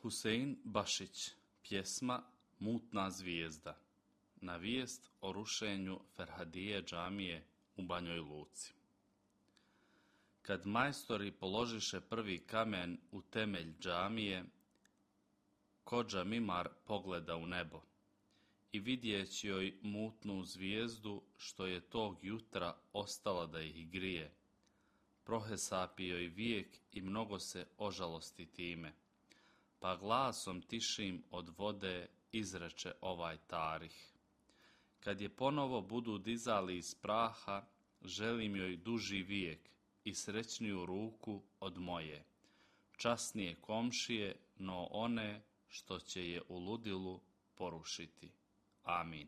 Husein Bašić, pjesma Mutna zvijezda, na vijest o rušenju Ferhadije džamije u Banjoj Luci. Kad majstori položiše prvi kamen u temelj džamije, kodža Mimar pogleda u nebo i vidjeći joj mutnu zvijezdu što je tog jutra ostala da ih grije, prohesapi joj vijek i mnogo se ožalosti time, pa glasom tišim od vode izreče ovaj tarih. Kad je ponovo budu dizali iz praha, želim joj duži vijek i srećniju ruku od moje, časnije komšije, no one što će je u ludilu porušiti. Amin.